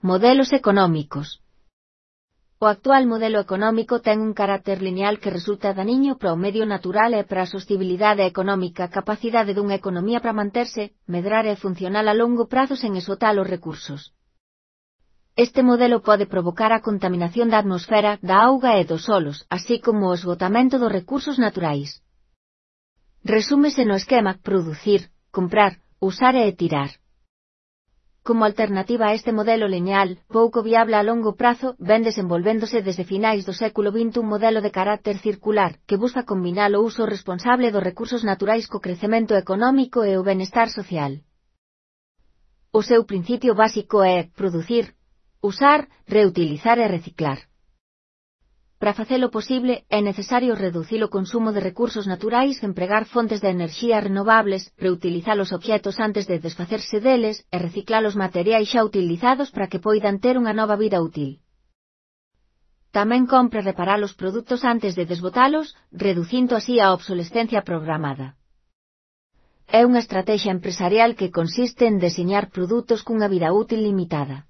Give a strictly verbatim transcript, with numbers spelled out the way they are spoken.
Modelos económicos. O actual modelo económico ten un carácter lineal que resulta daniño para o medio natural e para a sostibilidade económica, a capacidade dunha economía para manterse, medrar e funcional a longo prazo sen esgotar os recursos. Este modelo pode provocar a contaminación da atmosfera, da auga e dos solos, así como o esgotamento dos recursos naturais. Resúmese no esquema producir, comprar, usar e tirar. Como alternativa a este modelo lineal, pouco viable a longo prazo, ven desenvolvéndose desde finais do século vinte un modelo de carácter circular, que busca combinar o uso responsable dos recursos naturais co crecemento económico e o benestar social. O seu principio básico é producir, usar, reutilizar e reciclar. Para facelo posible, é necesario reducir o consumo de recursos naturais, empregar fontes de enerxía renovables, reutilizar os obxetos antes de desfacerse deles e reciclar os materiais xa utilizados para que poidan ter unha nova vida útil. Tamén compre reparar os produtos antes de desbotalos, reducindo así a obsolescencia programada. É unha estrategia empresarial que consiste en deseñar produtos cunha vida útil limitada.